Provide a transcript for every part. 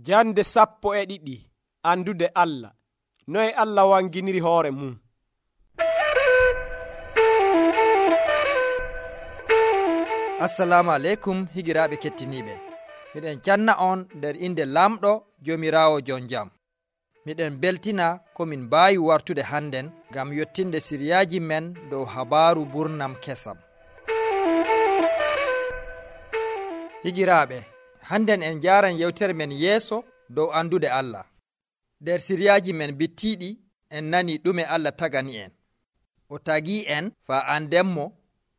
Jande 12 andude Allah. Noye Allah wanginiri hoore mum. Assalamu aleykum higiraaɓe kettiniiɓe. Miɗen canna on nder inde lamɗo Joomiraawo jon jam. Miɗen beltina ko min mbaawi wartude hannden ngam yottinde siriyaaji men dow habaaru burnam kesam. Higiraaɓe, hannden en njaaran yewtere men yeeso dow andude Allah. Nder siriyaaji men bittiiɗi en nani ɗume Allah tagani en. O tagii en faa andenmo,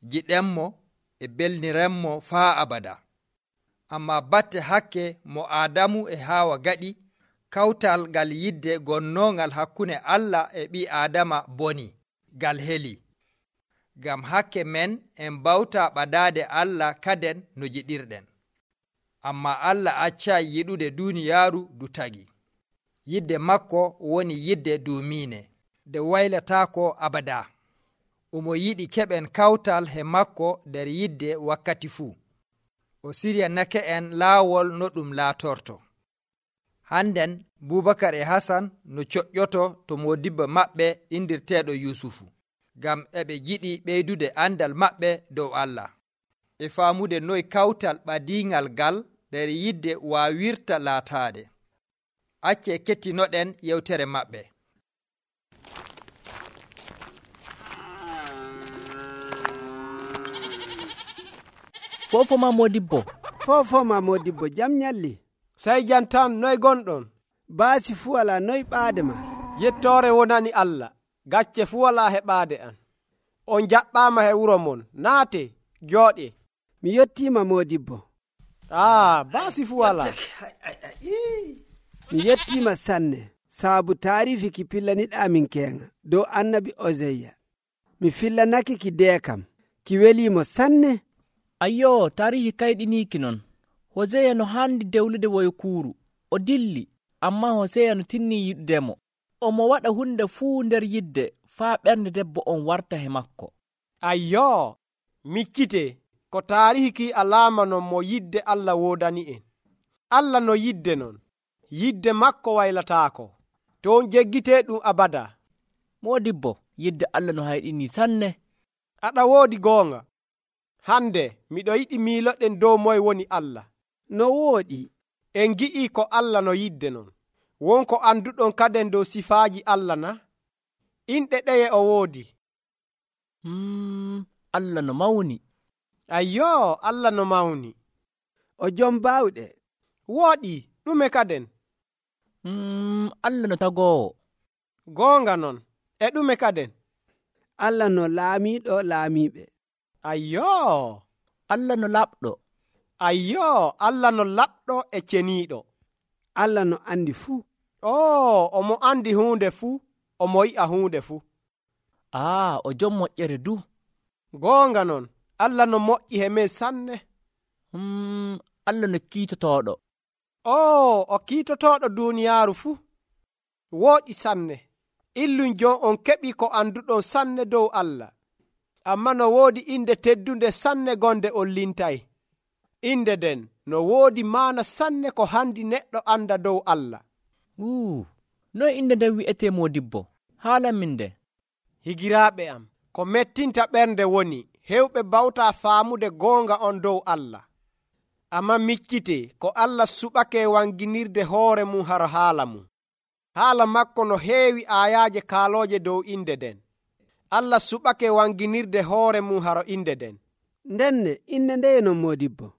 jiɗenmo e belnirenmo faa abada. Amma batte hakke mo Aadamu e Haawa gaɗi, kawtal ngal yidde gonnoongal hakkunde Allah e ɓii Aadama boni, ngal heli. Ngam hakke men en bawtaa ɓadaade Allah kaden no jiɗirɗen. Amma Allah accaayi yiɗude duuniyaaru du tagi. Yidde makko woni yidde duumiine, nde waylataako abada. Omo yiɗi keɓen kawtal he makko nder yidde wakkati fuu. O siryanake en laawol no ɗum laatorto. Hannden Bubakar e Hasan no coƴƴoto to modibbo maɓɓe indirteeɗo Yusufu, ngam eɓe jiɗi ɓeydude andal maɓɓe dow Allah, e faamude noy kawtal ɓadiingal ngal nder yidde waawirta laataade. Acce kettinoɗen yewtere maɓɓe. Fofoma modibbo jam nyalli. Sai jantan noy gonɗon? Baasi fu wala, noy ɓaade ma? Yettore wonani Allah, gacce fu wala heɓaade an. On jaɓɓama he wuro mon, naate, jooɗe. Mi yettima modibbo. Baasi fu wala. Mi yettima sanne, saabu taarifi ki pillaniɗamin keŋa dow annabi Oseya. Mi fillanake ki deekam, ki welimo sanne. Ayyo, tarihi kayɗiniki non. Hoseya no handi dewlude woykuuru, o dilli, amma Hoseya no tinni yiɗdemo. Omo waɗa hunde fuu nder yidde faa ɓernde debbo on warta he makko. Ayyo, miccite ko taarihi ki alaama non mo yidde Allah woodani en. Allah no yidde non, yidde makko waylataako, to on jeggite ɗum abada. Modibbo, yidde Allah no hayɗini sanne. Aɗa woodi goonga. Hande miɗo yiɗi miiloɗen dow moye woni Allah. No wooɗi? En gi'i ko Allah no yidde non. Wonko anduɗon kaden dow sifaaji Allah na? Inɗe ɗeye o woodi? Allah no mawni. Ayyo, Allah no mawni. O jom baawɗe. Wooɗi, ɗume kaden? Allah no tagoowo. Goonga non, e ɗume kaden? Allah no laamiiɗo laamiiɓe. Ayyo, Allah no laɓɗo. Ayyo, Allah no laɓɗo e ceniiɗo. Allah no andi fuu. Omo andi huunde fuu, omo yi'a huunde fuu. O jom moƴƴere du. Goonga non, Allah no moƴƴi he men sanne. Allah no kiitotooɗo. O kiitotooɗo duuniyaaru fuu. Wooɗi sanne. Illun jon on keɓi ko anduɗon sanne dow Allah. Amma no woodi inde teddunde sanne gonde on lintay. Inde den no woodi maana sanne ko handi neɗɗo anda dow Allah. Noy inde nden wi'etee modibbo? Haalan min nde. Higiraaɓe am, ko mettinta ɓernde woni hewɓe bawta faamude goonga on dow Allah. Amma miccite ko Allah suɓake wanginirde hoore mum haro haala mum. Haala makko no heewi aayaaje kaalooje dow inde den. Allah suɓake wanginirde hoore mum haro inde den. Ndenne inde ndeye non modibbo?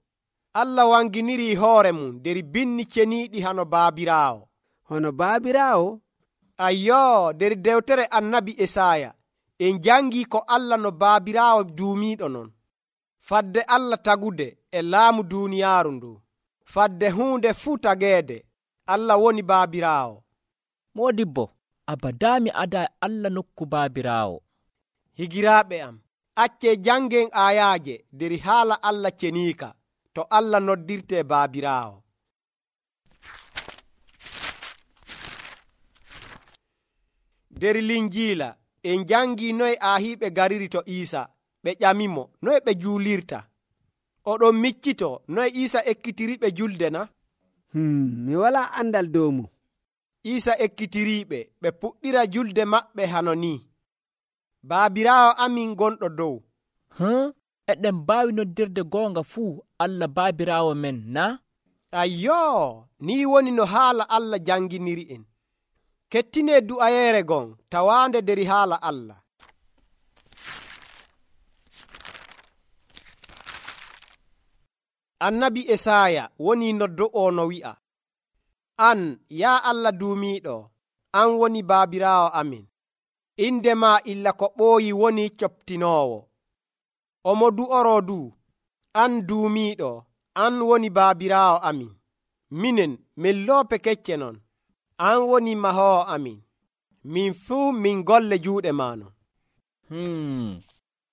Allah wanginiri hoore mum nder binni ceniiɗi hano baabiraawo. Hono baabiraawo? Ayyo, nder dewtere annabi Esaya en jangi ko Allah no baabiraawo duumiiɗo non. Fadde Allah tagude e laamu duuniyaaru ndu. Fadde huunde fuu tageede, Allah woni baabiraawo. Modibbo, abadami ada Allah nokku baabiraawo. Higiraaɓe am, acce jangen aayaaje nder haala Allah ceniika to Allah noddirte baabiraawo. Nder Linjiila en jangi noye aahiiɓe gariri to Iisa, ɓe ƴamimo noye ɓe juulirta. Oɗon miccito noye Iisa ekkitiriɓe julde na? mi wala andal dow mum. Iisa ekkitiriiɓe ɓe puɗɗira julde maɓɓe hano ni: Baabiraawo amin gonɗo dow. Eɗen mbaawi noddirde goonga fuu Allah baabiraawo men, na? Ayyoo, ni woni no haala Allah janginiri en. Kettinee du'ayeere gon tawaande der haala Allah. Annabi Esaya woni noddo'o no wi'a: An, yaa Allah duumiiɗo, an woni baabiraawo amin. Inde maa illa ko ɓooyi woni coptinoowo. Omo du'oroo du, an duumiiɗo, an woni baabiraawo amin. Minen min loope kecce non, an woni mahoowo amin. Min fuu min golle juuɗe maano.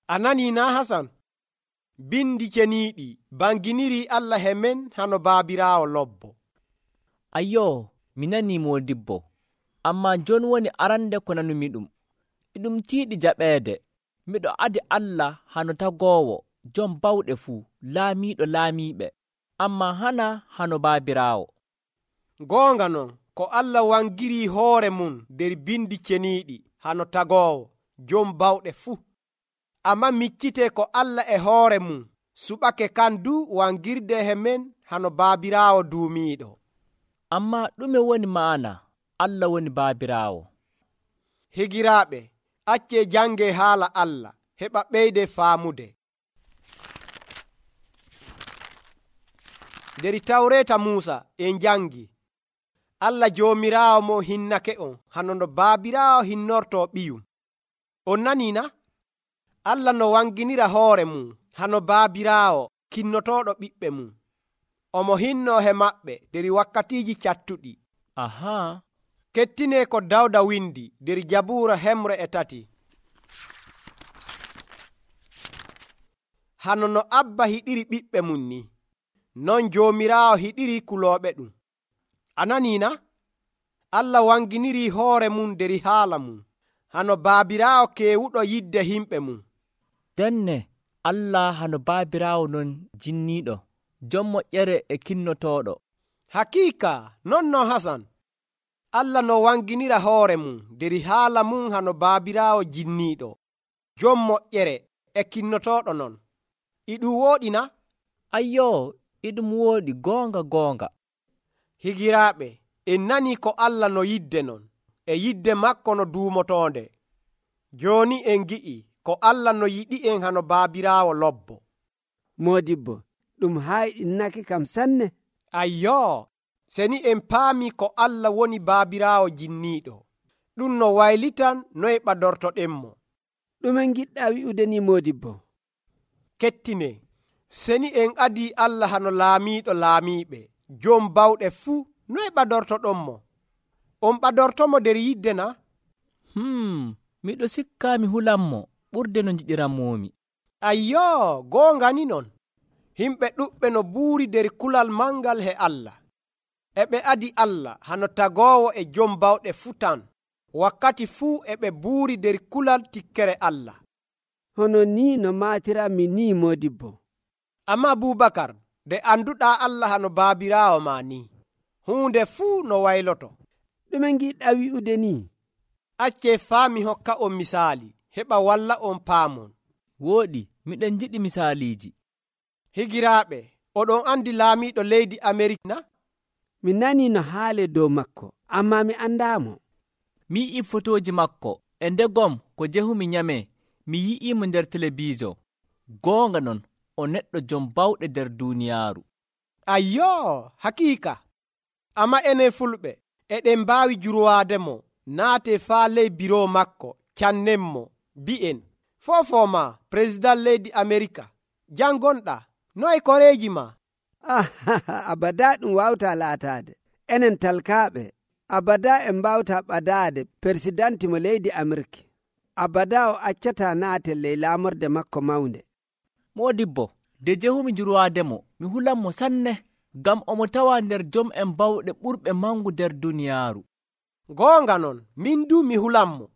A nanii na Hasan? Bindi ceniiɗi banginiri Allah he men hano baabiraawo lobbo. Ayyoo, mi nanii moodibbo, ammaa jon woni arande ko nanumi ɗum. Iɗum tiiɗi jaɓeede. Miɗo adi Allah hano tagoowo, jom bawɗe fuu, laamiiɗo laamiiɓe, ammaa hana hano baabiraawo. Goonga non, ko Allah wangiri hoore mum der bindi ceniiɗi hano tagoowo, jom bawɗe fuu. Amma miccitee ko Allah e hoore mum suɓake kandu wangirde he men hano baabiraawo duumiiɗo. Ammaa ɗume woni maana Allah woni baabiraawo? Higiraaɓe, accee jange haala Allah heɓa ɓeyde faamude. Der Tawreeta Muusa en jangi Allah joomiraawo mo hinnake on hano no baabiraawo hinnortoo ɓiyum. On nanii na? Allah no wanginira hoore mum hano baabiraawo kinnotooɗo ɓiɓɓe mum. Omo hinnoo he maɓɓe der wakkatiiji cattuɗi. Ahaa. Kettinee ko Dawda windi der Jabuura 3. Hano no Abba hiɗiri ɓiɓɓe mum ni, non Joomiraawo hiɗiri kulooɓe ɗum. A nanii na? Allah wanginiri hoore mum der haala mum hano baabiraawo keewuɗo yidde himɓe mum. Denne Allah hano baabiraawo non jinniiɗo, jom moƴƴere e kinnotooɗo. Hakiika non no Hasan. Allah no wanginira hoore mum der haala mum hano baabiraawo jinniiɗo, jom moƴƴere e kinnotooɗo non. Iɗum wooɗi na? Ayyoo, iɗum wooɗi goonga. Higiraaɓe, en nanii ko Allah no yidde non, e yidde makko no duumotoonde. Jooni en gi'i ko Allah no yiɗi en hano baabiraawo lobbo. Moodibbo, ɗum hayɗinnake kam sanne. Ayyoo, seni en paami ko Allah woni baabiraawo jinniiɗo, ɗum no waylitan noye ɓadortoɗenmo. Ɗume giɗɗa wi'ude ni moodibbo? Kettine, seni en adii Allah hano laamiiɗo laamiiɓe, jom bawɗe fuu, noye ɓadortoɗonmo? On ɓadortomo der yidde na? Miɗo sikkaa mi hulanmo ɓurde no njiɗiramomi. Ayyoo, goonga ni non. Himɓe ɗuɓɓe no buuri der kulal mangal he Allah. E ɓe adi Allah hano tagoowo e jom bawɗe fuu tan. Wakkati fuu e ɓe buuri der kulal tikkere Allah. Hono ni no maatirami ni moodibbo. Amma Abubakar, de anduɗaa Allah hano baabiraawo ma ni, huunde fuu no wayloto. Ɗume giɗɗa wi'ude ni? Accee faami hokka on misaali, heɓa walla on paamon. Wooɗi, miɗen jiɗi misaaliiji. Higiraaɓe, oɗon andi laamiiɗo leydi Amerik na? Mi nanii no haale dow makko, ammaa mi andaamo. Mi yi'i fotooji makko, e ndegom ko jehumi nyamee, mi yi'iimo nder telebiijo. Goonga non, o neɗɗo jom bawɗe nder duuniyaaru. Ayyoo, hakiika. Amma enen fulɓe, eɗen mbaawi jurwaademo, naate faa ley biro makko, cannenmo, bi'en, foofoma président leydi Amerika, jangonɗa, noye koreeji ma? Abada ɗum wawta laataade. Enen talkaaɓe, abada en mbawta ɓadaade persidanti mo leydi Amerika. Abada o accata naate ley laamorde makko mawnde. Moodibbo, de jehumi jurwaademo, mi hulanmo sanne, ngam omo tawa nder jom en bawɗe ɓurɓe mangu nder duniyaaru. Goonga non, min du mi hulanmo.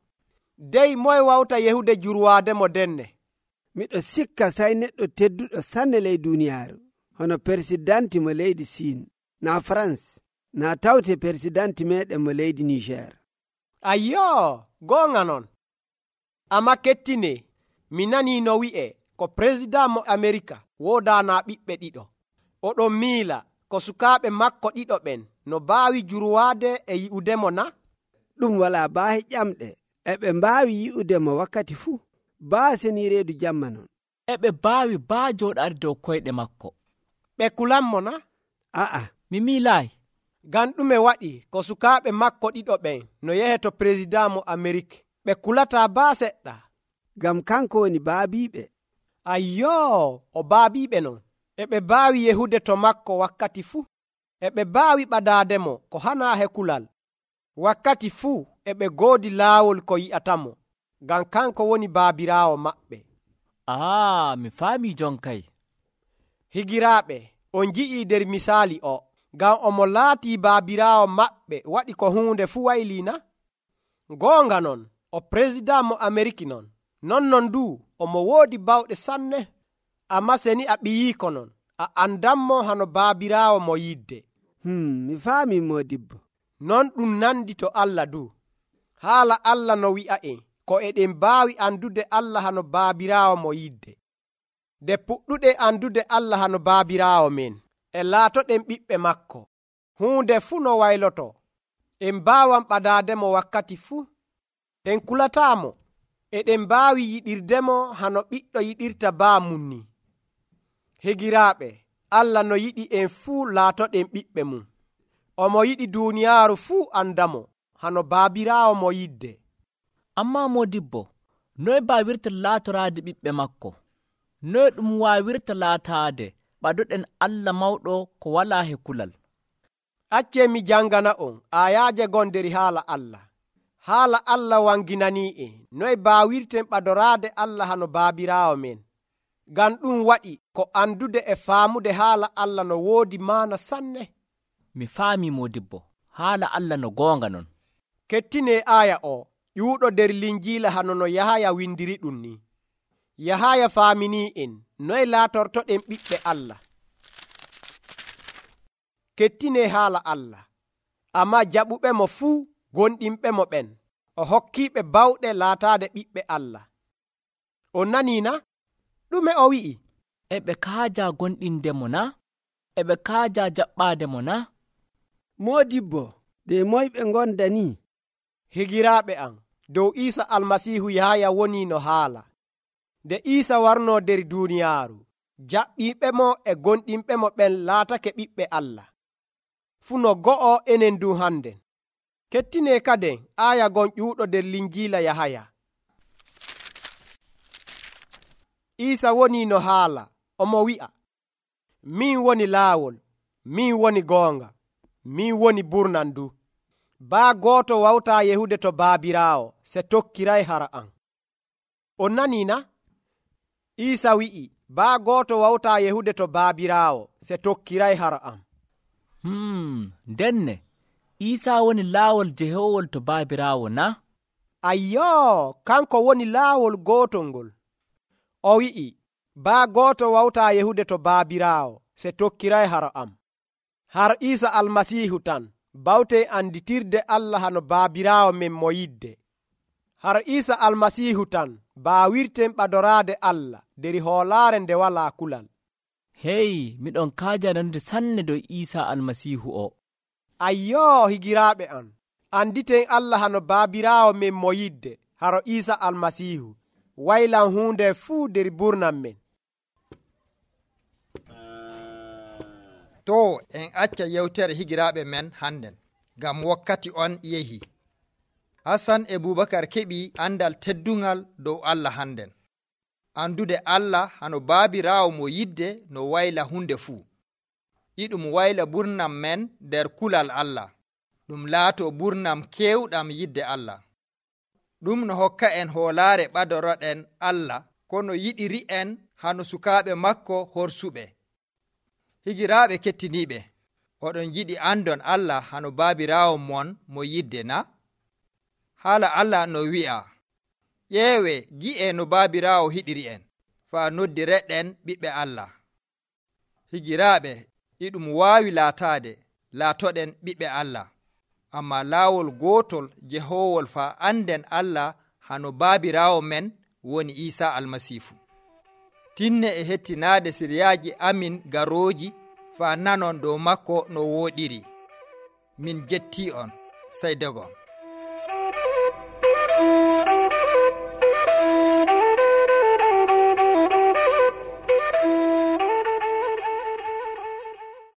Dey moye wawta yehude jurwaademo denne? Miɗo sikka say neɗɗo tedduɗo sanne ley duniyaaru, hono persidanti mo leydi Siin. na France na tawte persidanti meɗen mo leydi Niger. Ayyo, goonga non. Amma kettine, mi nanii no wi'e ko président mo Amerika woodanaa ɓiɓɓe ɗiɗo. Oɗon miila ko sukaaɓe makko ɗiɗo ɓen no mbaawi jurwaade e yi'udemo na? Ɗum walaa baahe ƴamɗe, eɓe mbaawi yi'udemo wakkati fuu. Baa seni reedu jamma non. Eɓe mbaawi baa jooɗaade dow koyɗe makko. Ɓe kulanmo na? A'a. Mi miilaayi. Ngam ɗume waɗi ko sukaaɓe makko ɗiɗo ɓen no yehe to président mo Amerik ɓe kulataa baa seɗɗa? Ngam kanko woni baabiiɓe. Ayyoo, o baabiiɓe non. Eɓe mbaawi yehude to makko wakkati fuu. Eɓe mbaawi ɓadaademo ko hanaa he kulal. Wakkati fuu eɓe ngoodi laawol ko yi'atamo, ngam kanko woni baabiraawo maɓɓe. Mi faamii jon kay. Higiraaɓe, on nji'ii nder misaali o, ngam omo laatii baabiraawo maɓɓe waɗi ko huunde fuu waylii na? Goonga non, o président mo Ameriki non. Non du, omo woodi bawɗe sanne. Amma seni a ɓiyiiko non, a andanmo hano baabiraawo mo yidde. Mi faamii Moodibbo. Non ɗum nandi to Allah du. Haala Allah no wi'a'en ko eɗen mbaawi andude Allah hano baabiraawo mo yidde. Nde puɗɗuɗe andude Allah hano baabiraawo men, e laatoɗen ɓiɓɓe makko. Huunde fuu no wayloto, en mbaawan ɓadaademo wakkati fuu. En kulataamo, eɗen mbaawi yiɗirdemo hano ɓiɗɗo yiɗirta baa mum ni. Higiraaɓe, Allah no yiɗi en fuu laatoɗen ɓiɓɓe mum. Omo yiɗi duuniyaaru fuu andamo hano baabiraawo mo yidde. Ammaa Moodibbo, noye baawirta laatoraade ɓiɓɓe makko? Noye ɗum waawirta laataade ɓadoɗen Allah mawɗo ko walaa he kulal? Accee mi jangana on aayaaje gon nder haala Allah. Haala Allah wanginanii'en noye baawirten ɓadoraade Allah hano baabiraawo men. Ngam ɗum waɗi ko andude e faamude haala Allah no woodi maana sanne. Mi faamii Moodibbo, haala Allah no goonga non. Kettine aaya o ƴuuɗo nder linjiila hano no Yahaya windiri ɗum ni. Yahaya faaminii'en noye laatortoɗen ɓiɓɓe Allah. Kettine haala Allah, amma jaɓuɓe mo fuu gonɗinɓe mo ɓen, o hokkiiɓe bawɗe laataade ɓiɓɓe Allah. On nanii na? Ɗume o wi'i? Eɓe kaaja gonɗindemo na? Eɓe kaaja jaɓɓaademo na? Moodibbo, de moyɓe ngonda ni? Higiraaɓe am, dow Iisa almasiihu Yahaya woni no haala. Nde Iisa warnoo nder duuniyaaru, jaɓɓiiɓe mo e gonɗinɓe mo ɓen laatake ɓiɓɓe Allah. Fu no go'o enen du hannden. Kettine kaden aaya gon ƴuuɗo nder linjiila Yahaya. Iisa woni no haala, omo wi'a, min woni laawol, min woni goonga, min woni burnan du. Baa gooto wawtaa yehude to baabiraawo se tokkiray hara am. On nanii na? Iisa wi'i, baa gooto wawtaa yehude to baabiraawo se tokkiray hara am. Ndenne, Iisa woni laawol jehowol to baabiraawo na? Ayyoo, kanko woni laawol gootol ngol. O wi'i, baa gooto wawtaa yehude to baabiraawo se tokkiray hara am. Har Iisa almasiihu tan bawtee anditirde Allah hano baabiraawo men mo yidde. Har Iisa almasiihu tan baawirten ɓadoraade Allah nder hoolaare nde walaa kulal. Hey, miɗon kaaja nanude sanne dow Iisa almasiihu o. Ayyoo, higiraaɓe am, anditen Allah hano baabiraawo men mo yidde haro Iisa almasiihu waylan huunde fuu nder burnan men. To en acca yewtere higiraaɓe men hannden, ngam wakkati on yehi. Hasan e Bubakar keɓi andal teddungal dow Allah hannden. Andude Allah hano baabiraawo mo yidde no wayla hunde fuu. Iɗum wayla burnam men nder kulal Allah. Ɗum laato burnam kewɗam yidde Allah. Ɗum no hokka en hoolaare ɓadoroɗen Allah kono yiɗiri en hano sukaaɓe makko horsuɓe. Higiraaɓe kettiniiɓe, oɗon yiɗi andon Allah hano baabiraawo mon mo yidde na? Haala Allah no wi'a, ƴeewe gi'e no baabiraawo hiɗiri en, faa noddireɗen ɓiɓɓe Allah. Higiraaɓe, iɗum waawi laataade laatoɗen ɓiɓɓe Allah, amma laawol gootol jehoowol faa anden Allah hano baabiraawo men woni Iisaa Almasiifu. Tinne e hettinaade siryaaji amin garooji faa nanon dow makko no wooɗiri. Min jettii on, sey dogon.